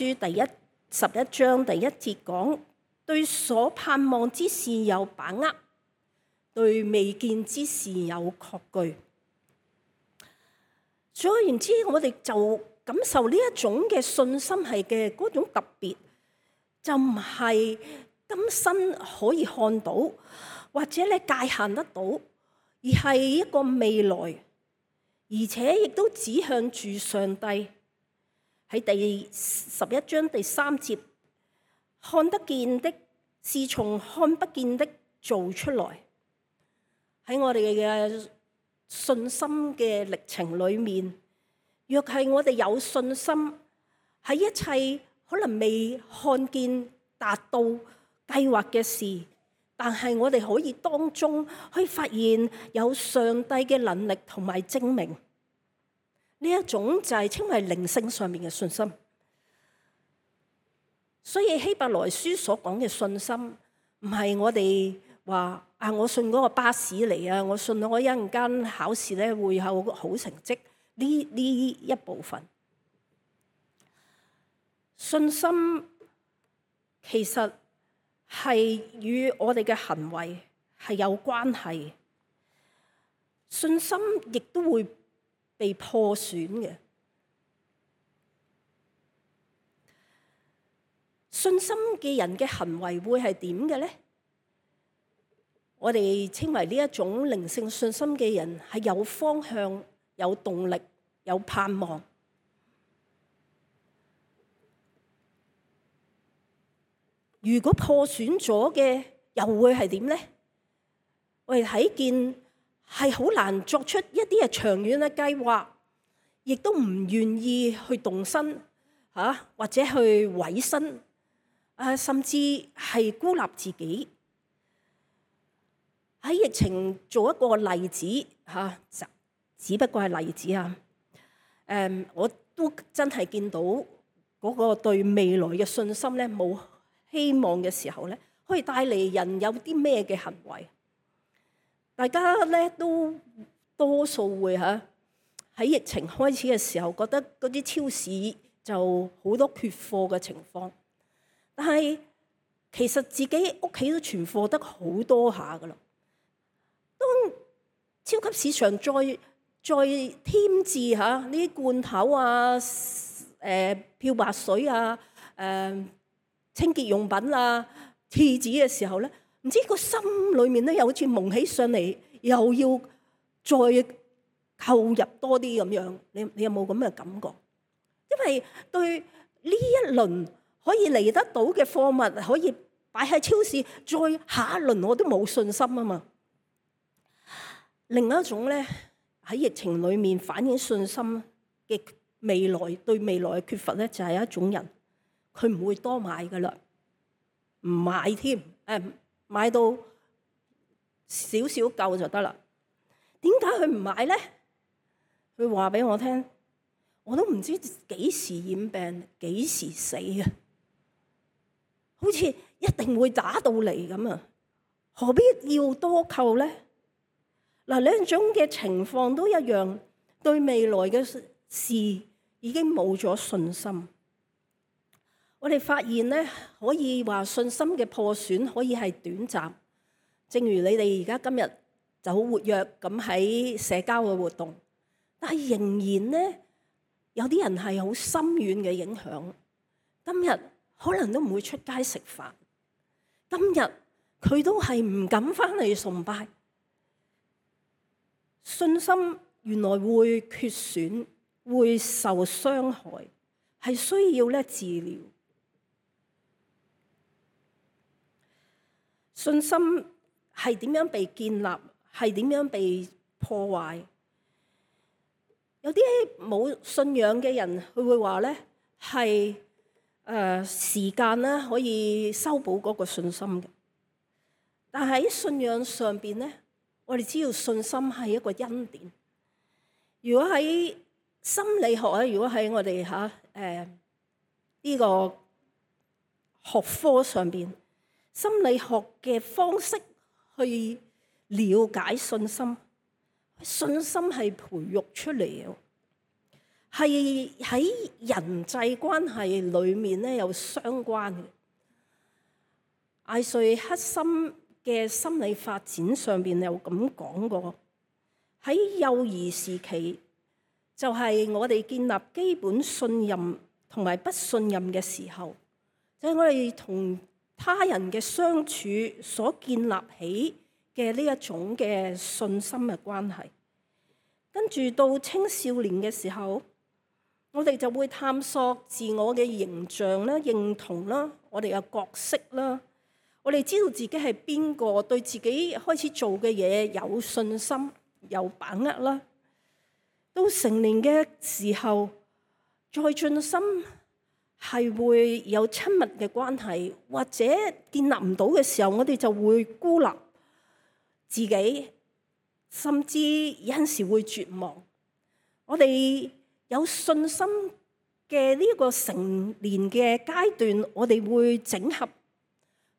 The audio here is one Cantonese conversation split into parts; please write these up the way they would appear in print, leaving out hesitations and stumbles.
書11章第1節講，對所盼望之事有把握，對未見之事有確據。總而言之，我哋就感受呢一種嘅信心係嘅嗰種特別，就唔係今生可以看到，或者咧界限得到，而係一個未來，而且亦都指向住上帝。喺第11章第3節，看得見的是從看不見的做出來。喺我哋嘅信心嘅歷程裏面，若係我哋有信心，喺一切可能未看見達到計劃嘅事，但係我哋可以當中去發現有上帝嘅能力同埋證明。呢一種就係稱為靈性上面嘅信心。所以希伯來書所講嘅信心，唔係我哋話我信嗰個巴士嚟啊，我信我一陣間考試咧會有好成績呢一部分。信心其實係與我哋嘅行為係有關係，信心亦都會被破損嘅。信心嘅人嘅行為會係點嘅呢？我哋稱為呢一種靈性信心嘅人係有方向、有動力、有盼望。如果破損咗嘅，又會係點呢？我哋睇見係好難作出一啲長遠嘅計劃，亦都唔願意去動身或者去委身，甚至係孤立自己。喺疫情做一個例子只不過係例子啊。我都真係見到嗰個對未來嘅信心咧冇希望嘅時候咧，可以帶嚟人有啲咩嘅行為？大家咧都多數會喺疫情開始嘅時候，覺得嗰啲超市就好多缺貨嘅情況。但係其實自己屋企都存貨得好多下噶啦。當超級市場再添置呢啲罐頭啊、漂白水啊、清潔用品啊、廁紙嘅時候咧，唔知個心裏面咧又好似蒙起上嚟，又要再購入多啲咁樣。你有冇咁嘅感覺？因為對呢一輪可以嚟得到嘅貨物可以擺喺超市，再下一輪我都冇信心啊嘛。另一種咧喺疫情裏面反映信心嘅未來，對未來嘅缺乏咧，就係一種人，佢唔會多買噶啦，唔買添，買到少少夠就得啦。點解佢唔買咧？佢話俾我聽，我都唔知幾時染病，幾時死嘅，好似一定會打到嚟咁啊！何必要多購咧？兩種嘅情況都一樣，對未來嘅事已經冇咗信心。我哋發現咧，可以話信心嘅破損可以係短暫，正如你哋而家今日就好活躍咁喺社交嘅活動，但係仍然咧有啲人係好深遠嘅影響。今日可能都唔會出街食飯，今日佢都係唔敢返嚟崇拜。信心原來會缺損，會受傷害，係需要咧治療。信心係點樣被建立，係點樣被破壞？有啲冇信仰嘅人，佢會話咧係時間咧可以修補嗰個信心嘅，但係喺信仰上邊咧，我哋知道信心係一個恩典。如果喺心理學啊，如果喺我哋呢個學科上邊，心理學嘅方式去了解信心，信心係培育出嚟嘅。係喺人際關係裏面咧有相關嘅。艾瑞克森嘅心理發展上邊有咁講過，喺幼兒時期就係我哋建立基本信任同埋不信任嘅時候，就係我哋同他人嘅相處所建立起嘅呢一種嘅信心嘅關係。跟住到青少年嘅時候，我哋就會探索自我嘅形象啦、認同啦、我哋嘅角色啦。我哋知道自己係邊個，對自己開始做嘅嘢有信心、有把握啦。到成年嘅時候，再進深係會有親密嘅關係，或者建立唔到嘅時候，我哋就會孤立自己，甚至有陣時會絕望。我哋有信心嘅呢個成年嘅階段，我哋會整合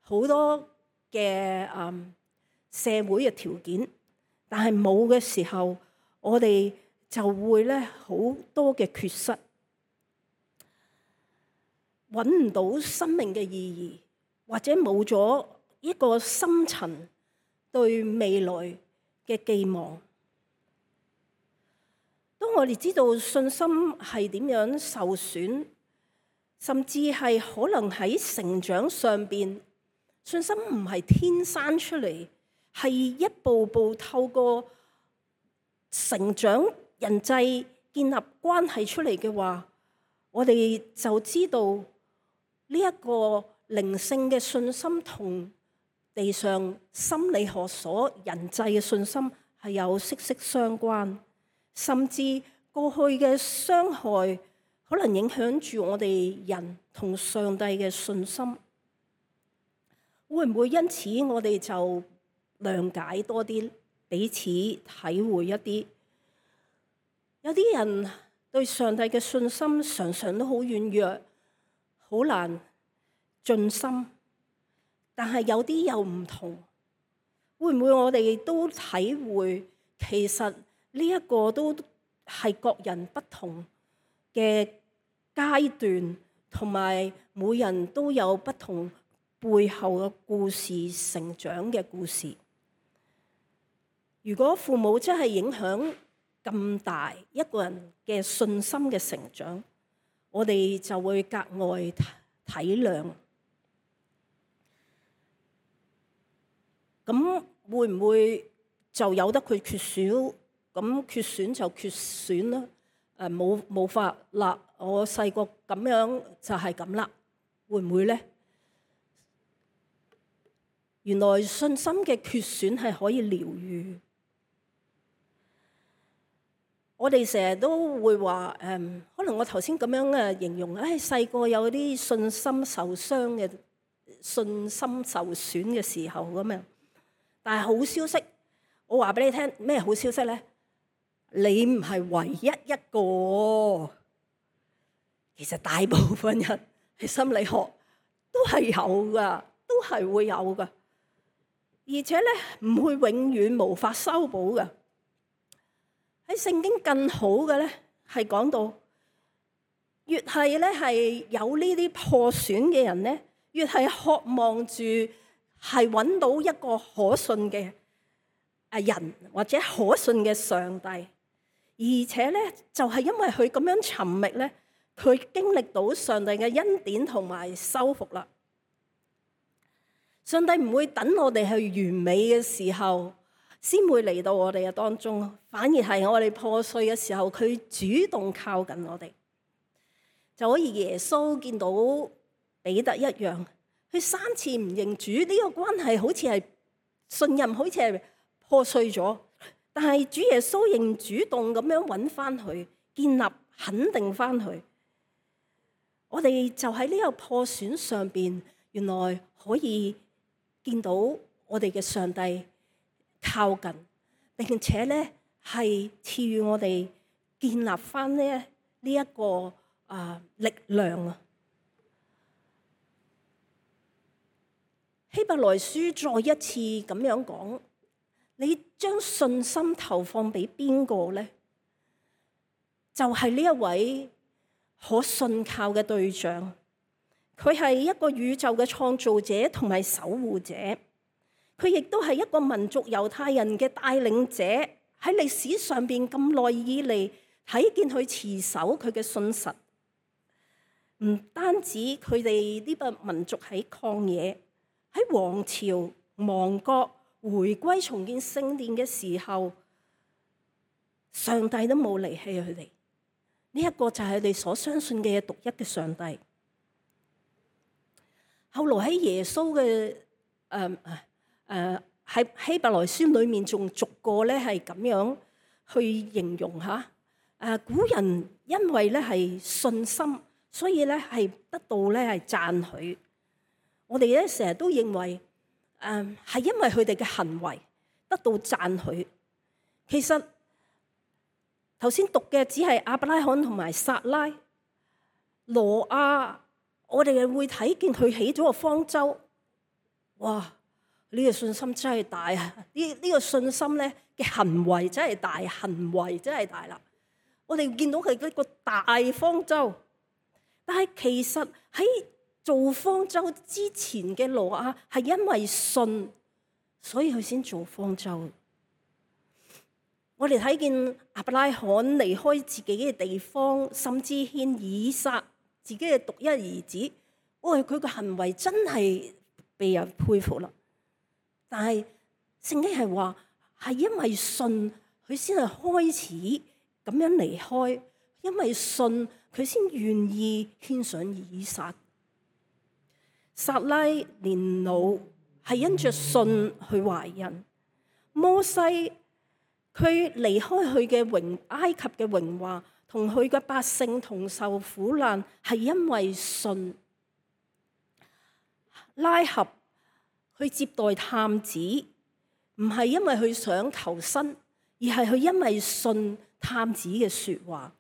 好多嘅社會嘅條件，但係冇嘅時候，我哋就會咧好多嘅缺失，揾唔到生命嘅意義，或者冇咗一個深層對未來嘅寄望。當我哋知道信心係點樣受損，甚至係可能喺成長上邊，信心唔係天生出嚟，係一步步透過成長、人際建立關係出嚟嘅話，我哋就知道呢一個靈性嘅信心同地上心理學所人際嘅信心係有息息相關。甚至過去嘅傷害可能影響住我哋人同上帝嘅信心，會唔會因此我哋就諒解多啲，彼此體會一啲？有啲人對上帝嘅信心常常都好軟弱，好難盡心，但係有啲又唔同。會唔會我哋都體會其實呢一個都係各人不同嘅階段，同埋每人都有不同背後嘅故事、成長嘅故事。如果父母真係影響咁大一個人嘅信心嘅成長，我哋就會格外體諒。咁會唔會就由得佢缺少？咁缺選就缺選啦，冇法啦。我細個咁樣就係咁啦，會唔會咧？原來信心嘅缺選係可以療癒。我哋成日都會話可能我頭先咁樣形容，細個有啲信心受傷嘅、信心受損嘅時候咁樣。但係好消息，我話俾你聽，咩好消息咧？你唔係唯一一個，其實大部分人喺心理學都係有噶，都係會有噶，而且咧唔會永遠無法修補噶。喺聖經更好嘅咧，係講到越係咧係有呢啲破損嘅人咧，越係渴望住係揾到一個可信嘅人或者可信嘅上帝。而且咧，就係因為佢咁樣尋覓咧，佢經歷到上帝嘅恩典同埋修復啦。上帝唔會等我哋去完美嘅時候先會嚟到我哋嘅當中，反而係我哋破碎嘅時候，佢主動靠近我哋，就好似耶穌見到彼得一樣，佢3次唔認主，呢個關係好似係信任，好似係破碎咗。但係主耶穌仍主動咁樣揾翻佢，建立肯定翻佢。我哋就喺呢個破損上邊，原來可以見到我哋嘅上帝靠近，並且咧係賜予我哋建立翻呢一個力量啊。希伯來書再一次咁樣講。你將信心投放俾邊個咧？就係呢一位可信靠嘅對象。佢係一個宇宙嘅創造者同埋守護者，佢亦都係一個民族猶太人嘅帶領者。喺歷史上邊咁耐以嚟，睇見佢持守佢嘅信實。唔單止佢哋呢個民族喺曠野，喺王朝亡國回歸重建聖殿嘅時候，上帝都冇離棄佢哋。呢一個就係佢哋所相信嘅獨一嘅上帝。後來喺耶穌嘅喺希伯來書裏面仲逐個咧係咁樣去形容下。古人因為咧係信心，所以咧係得到咧係讚許。我哋咧成日都認為係因為佢哋嘅行為得到讚許。其實頭先讀嘅只係亞伯拉罕同埋撒拉。挪亞，我哋會睇見佢起咗個方舟。哇！呢個信心真係大啊！呢個信心咧嘅行為真係大，行為真係大啦。我哋見到佢一個大方舟，但係其實喺做方舟之前嘅挪亞係因為信，所以佢先做方舟。我哋睇見亞伯拉罕離開自己嘅地方，甚至獻以撒自己嘅獨一兒子。佢個行為真係被人佩服啦。但係聖經係話係因為信，佢先係開始咁樣離開，因為信佢先願意獻上以撒。撒拉年老係因着信去懷孕。摩西佢離開佢嘅埃及嘅榮華，同佢嘅百姓同受苦難，係因為信。拉合去接待探子，唔係因為佢想求生，而係佢因為信探子嘅說話。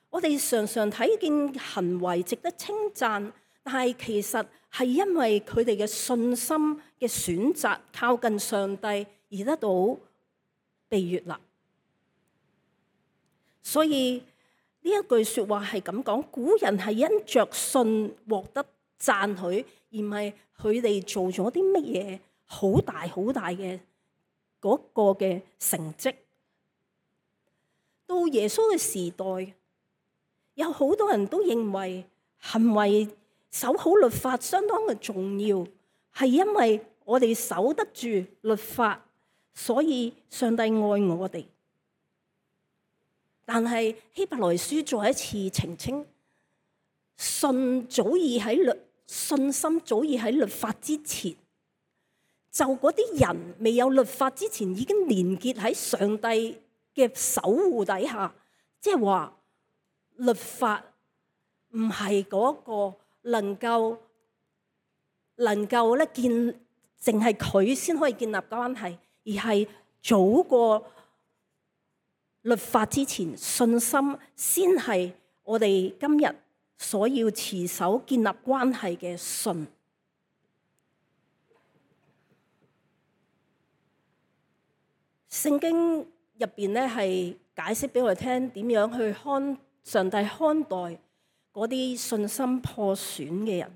我哋常常睇見行為值得稱讚，但係其實係因為佢哋嘅信心嘅選擇，靠近上帝而得到被悅納。所以呢一句說話係咁講，古人係因着信獲得讚許，而唔係佢哋做咗啲乜嘢好大好大嘅嗰個嘅成績。到耶穌嘅時代，有好多人都認為行為守好律法相當嘅重要，係因為我哋守得住律法，所以上帝愛我哋。但係希伯來書再一次澄清，信心早已喺律法之前，就嗰啲人未有律法之前已經連結喺上帝嘅守護底下，即係話律法唔係嗰個能夠咧淨係佢先可以建立關係，而係早過律法之前，信心先係我哋今日所要持守建立關係嘅信。聖經入邊咧係解釋俾我哋聽點樣去上帝看待嗰啲信心破損嘅人。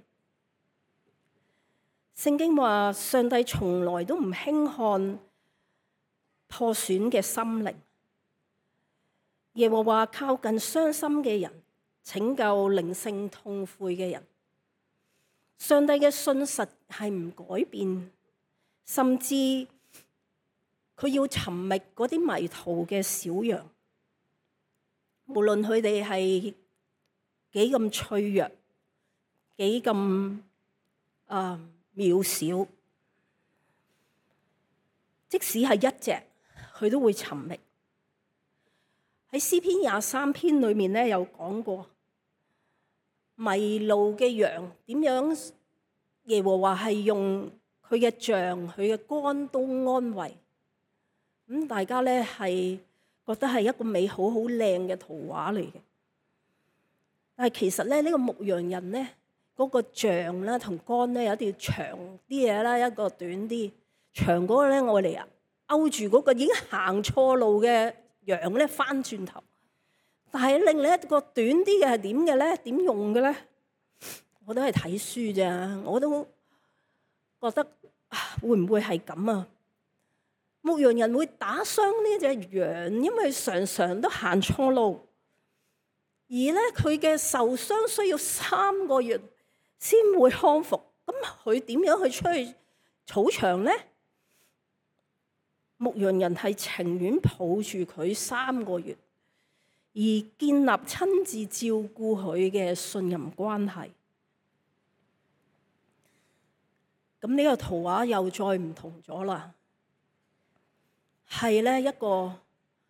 聖經話上帝從來都唔輕看破損嘅心靈。耶和華靠近傷心嘅人，拯救靈性痛悔嘅人。上帝嘅信實係唔改變，甚至佢要尋覓嗰啲迷途嘅小羊，無論佢哋係幾咁脆弱，幾咁渺小，即使係一隻，佢都會尋覓。喺詩篇23篇裏面咧有講過，迷路嘅羊點樣耶和華係用佢嘅杖、佢嘅竿都安慰。大家咧係覺得係一個美好好靚嘅圖畫嚟嘅。但係其實咧呢個牧羊人咧嗰個杖啦同竿咧有一條長啲嘢啦，一個短啲。長嗰個咧我哋勾住嗰個已經行錯路嘅羊咧翻轉頭，但係另一個短啲嘅係點嘅咧？點用嘅咧？我都係睇書咋，我都覺得會唔會係咁啊？牧羊人會打傷呢隻羊，因為常常都行錯路，而咧佢嘅受傷需要3個月先會康復。咁佢點樣去出去草場咧？牧羊人係情願抱住佢3個月，而建立親自照顧佢嘅信任關係。咁呢個圖畫又再唔同咗啦，係咧一個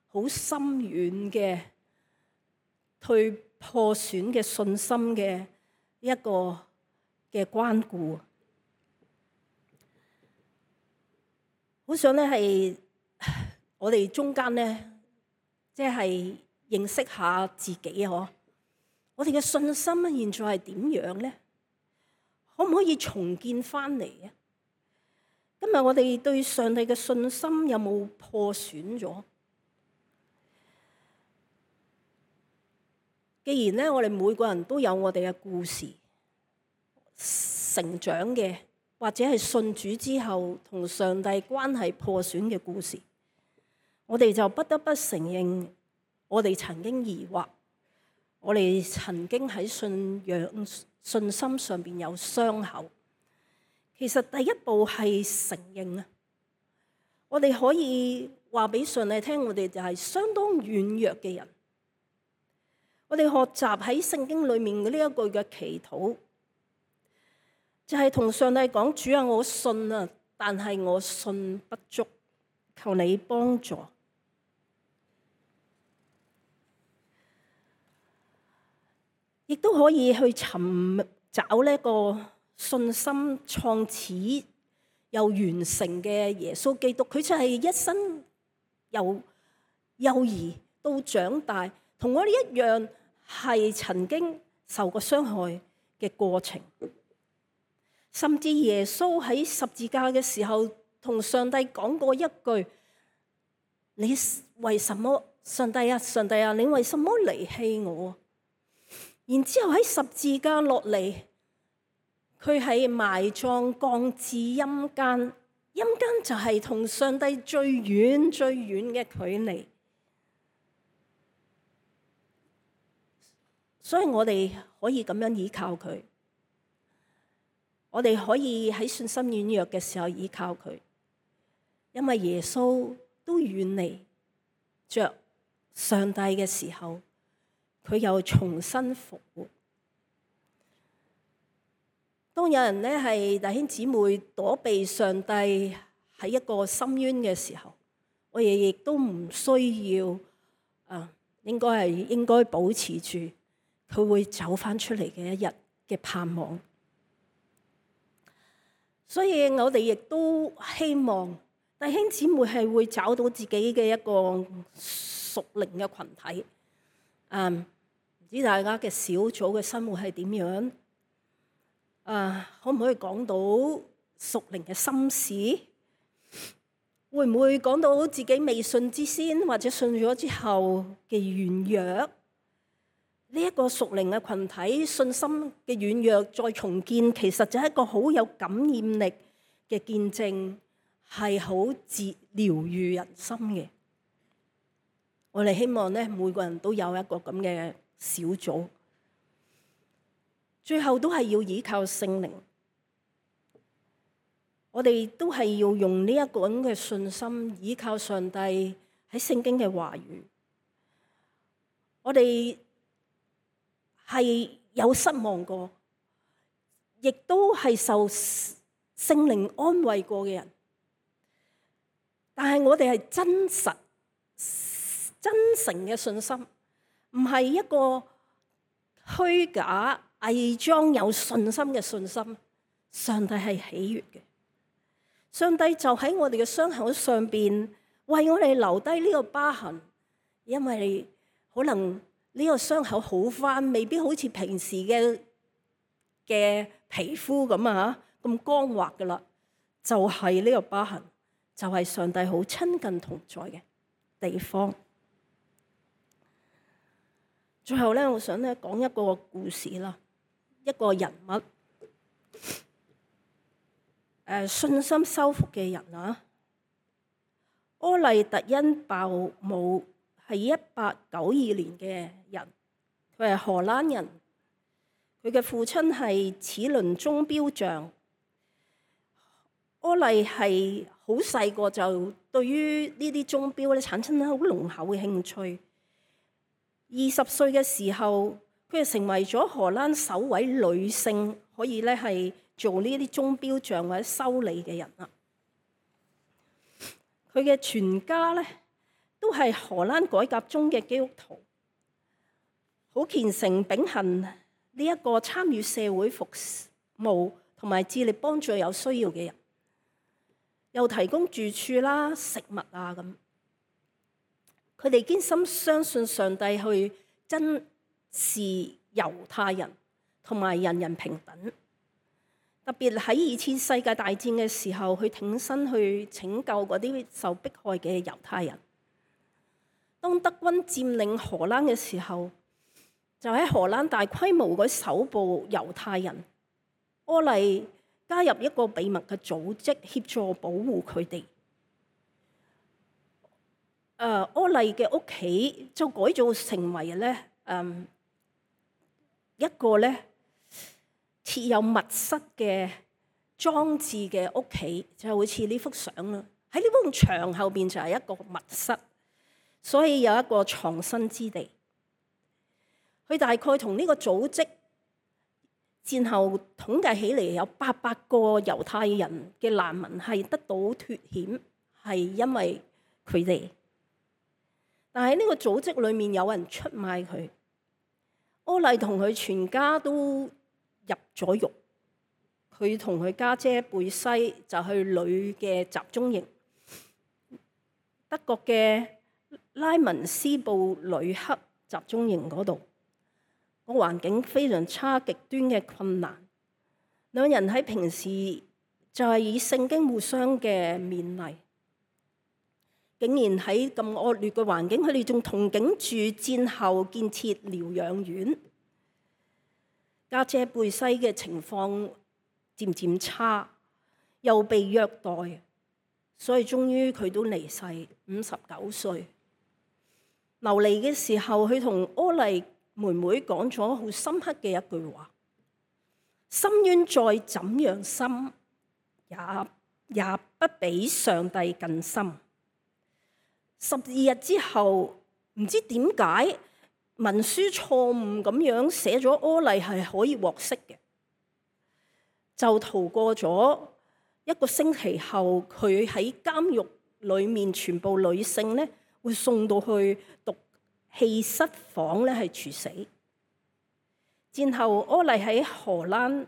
好深遠嘅對破損嘅信心嘅一個嘅關顧。好想咧係我哋中間咧，即係認識下自己啊！我哋嘅信心咧，現在係點樣咧？可唔可以重建翻嚟啊？今日我哋對上帝嘅信心有冇破損咗？既然咧，我哋每個人都有我哋嘅故事，成長嘅，或者係信主之後同上帝關係破損嘅故事，我哋就不得不承認，我哋曾經疑惑，我哋曾經喺信心上邊有傷口。其實第一步係承認啊！我哋可以話俾上帝聽，我哋就係相當軟弱嘅人。我哋學習喺聖經裏面嘅呢一句嘅祈禱，就係同上帝講：主啊，我信啊，但係我信不足，求你幫助。亦都可以去尋找呢一個信心創始又完成嘅耶穌基督，佢就係一生由幼兒到長大，同我哋一樣係曾經受過傷害嘅過程。甚至耶穌喺十字架嘅時候，同上帝講過一句：你為什麼，上帝啊，上帝啊，你為什麼離棄我？然之後喺十字架落嚟，佢係埋葬降至陰間，陰間就係同上帝最遠最遠嘅距離。所以我哋可以咁樣依靠佢，我哋可以喺信心軟弱嘅時候依靠佢，因為耶穌都遠離着上帝嘅時候，佢又重新復活。當有人咧係弟兄姊妹躲避上帝喺一個深淵嘅時候，我哋亦都唔需要應該保持住佢會走翻出嚟嘅一日嘅盼望。所以我哋亦都希望弟兄姊妹係會找到自己嘅一個屬靈嘅群體。唔知大家嘅小組嘅生活係點樣？可唔可以講到屬靈嘅心事？會唔會講到自己未信之先，或者信咗之後嘅軟弱？呢一個屬靈嘅群體信心嘅軟弱再重建，其實就係一個好有感染力嘅見證，係好療癒人心嘅。我哋希望咧，每個人都有一個咁嘅小組，最後都係要依靠聖靈。我哋都係要用呢一個咁嘅信心，依靠上帝喺聖經嘅話語。我哋係有失望過，亦都係受聖靈安慰過嘅人，但係我哋係真實、真誠嘅信心，唔係一個虛假、偽裝有信心嘅信心。上帝係喜悅嘅，上帝就喺我哋嘅傷口上邊為我哋留低呢個疤痕，因為可能呢個傷口好返，未必好似平時嘅皮膚咁啊，咁光滑噶啦，就係呢個疤痕，就係上帝好親近同在嘅地方。最後咧，我想咧講一個故事啦，一個人物，信心修復嘅人啊。柯麗特恩鮑姆係1892年嘅人，佢係荷蘭人，佢嘅父親係齒輪鐘錶匠。柯麗係好細個就對於呢啲鐘錶咧產生好濃厚嘅興趣。20歲嘅時候，佢就成為咗荷蘭首位女性可以咧係做呢啲鐘錶匠或者修理嘅人啦。佢嘅全家咧都係荷蘭改革中嘅基督徒，好虔誠秉行呢一個參與社會服務同埋致力幫助有需要嘅人，又提供住處啦、食物啊咁。佢哋堅心相信上帝去珍視猶太人同埋人人平等，特別喺2次世界大戰嘅時候，去挺身去拯救嗰啲受迫害嘅猶太人。當德軍佔領荷蘭嘅時候，就喺荷蘭大規模嗰搜捕猶太人，柯麗加入一個秘密嘅組織協助保護佢哋。柯麗嘅屋企就改造成為咧一個咧設有密室嘅裝置嘅屋企，就好似呢幅相啦。喺呢埲牆後邊就係一個密室，所以有一個藏身之地。佢大概同呢個組織戰後統計起嚟有800個猶太人嘅難民係得到脫險，係因為佢哋。但係呢個組織裏面有人出賣佢，柯麗同佢全家都入咗獄。佢同佢家姐貝西就去女嘅集中營，德國嘅拉文斯布呂克集中營嗰度，個環境非常差，極端嘅困難。兩人喺平時就係以聖經互相嘅勉勵。竟然喺咁惡劣嘅環境，佢哋仲同境住戰後建設療養院。家姐貝西嘅情況漸漸差，又被虐待，所以終於佢都離世，59歲。流離嘅時候，佢同柯麗妹妹講咗好深刻嘅一句話：深淵再怎樣深，也不比上帝更深。12日之後，唔知點解文書錯誤咁樣寫咗柯麗係可以獲釋嘅，就逃過咗1個星期後，佢喺監獄裏面全部女性咧會送到去毒氣室房咧係處死。戰後柯麗喺荷蘭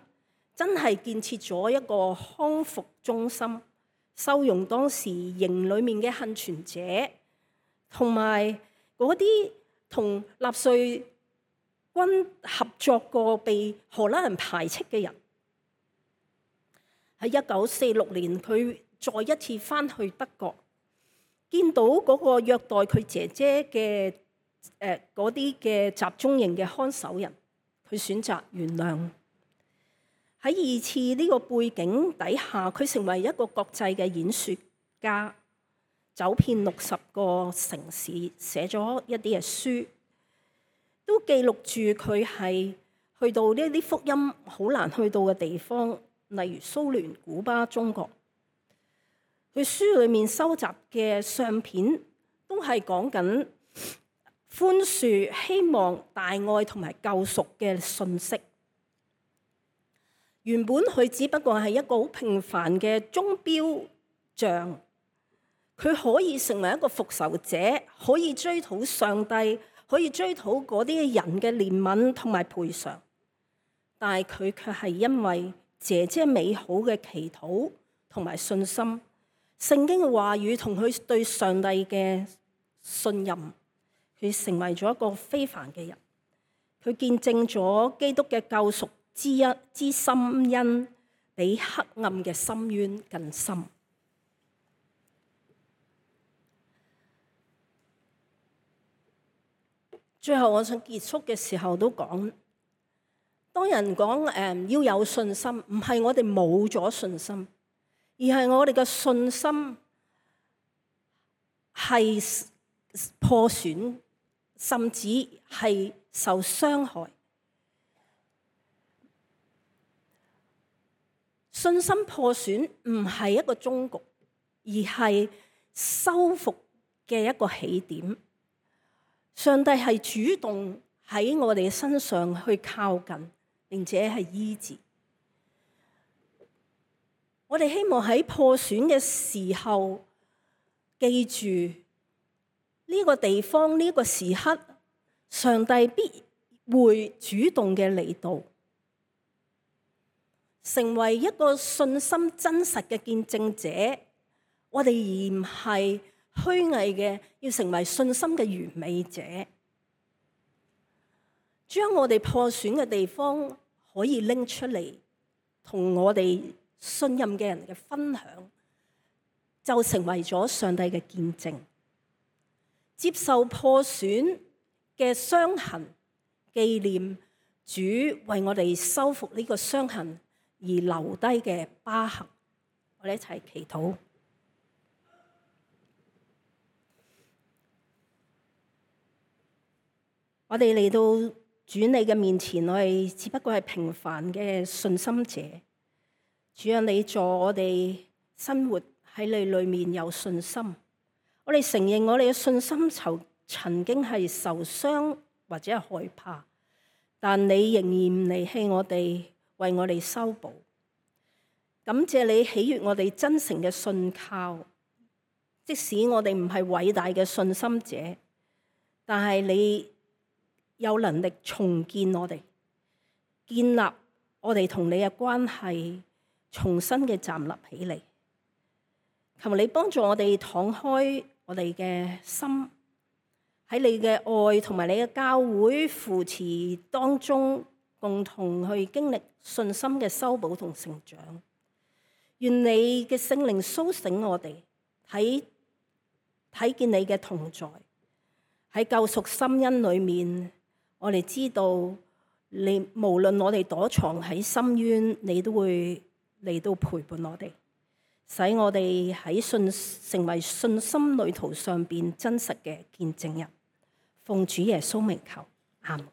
真係建設咗一個康復中心，收容當時營裏面嘅幸存者，同埋嗰啲同納粹軍合作過被荷蘭人排斥嘅人。喺1946年，佢再一次返去德國，見到嗰個虐待佢姐姐嘅嗰啲嘅集中營嘅看守人，佢選擇原諒。喺2次呢個背景底下，佢成為一個國際嘅演說家，走遍60個城市，寫咗一啲嘅書，都記錄住佢係去到呢啲福音好難去到嘅地方，例如蘇聯、古巴、中國。佢書裏面收集嘅相片都係講緊寬恕、希望、大愛同埋救贖嘅信息。原本佢只不過係一個好平凡嘅鐘錶匠，佢可以成為一個復仇者，可以追討上帝，可以追討嗰啲人嘅憐憫同埋賠償。但係佢卻係因為姐姐美好嘅祈禱同埋信心，聖經嘅話語同佢對上帝嘅信任，佢成為咗一個非凡嘅人。佢見證咗基督嘅救贖之深恩，比黑暗嘅深淵更深。最後我想結束嘅時候都講，當人講要有信心，唔係我哋冇咗信心，而係我哋嘅信心係破損，甚至係受傷害。信心破損唔係一個終局，而係修復嘅一個起點。上帝係主動喺我哋身上去靠近，並且係醫治。我哋希望喺破損嘅時候，記住呢個地方，呢個時刻，上帝必會主動嘅嚟到，成為一個信心真實嘅見證者。我哋而唔係虛偽嘅，要成為信心嘅完美者，將我哋破損嘅地方可以拎出嚟，同我哋信任嘅人嘅分享，就成為咗上帝嘅見證。接受破損嘅傷痕，紀念主為我哋修復呢個傷痕而留低嘅疤痕。我哋一齊祈禱。我哋嚟到主你嘅面前，我哋只不過係平凡嘅信心者。主啊，你助我哋生活喺你裏面有信心。我哋承認我哋嘅信心曾經係受傷或者係害怕，但你仍然唔離棄我哋，為我哋修補。感謝你喜悅我哋真誠嘅信靠，即使我哋唔係偉大嘅信心者，但係你有能力重建我哋，建立我哋同你嘅關係，重新嘅站立起嚟。求你幫助我哋敞開我哋嘅心，喺你嘅愛同埋你嘅教會扶持當中，共同去經歷信心嘅修補同成長。願你嘅聖靈甦醒我哋，睇見你嘅同在，喺救贖深恩裏面，我哋知道你無論我哋躲藏喺深淵，你都會嚟到陪伴我哋，使我哋喺成為信心旅途上邊真實嘅見證人。奉主耶穌名求，阿們。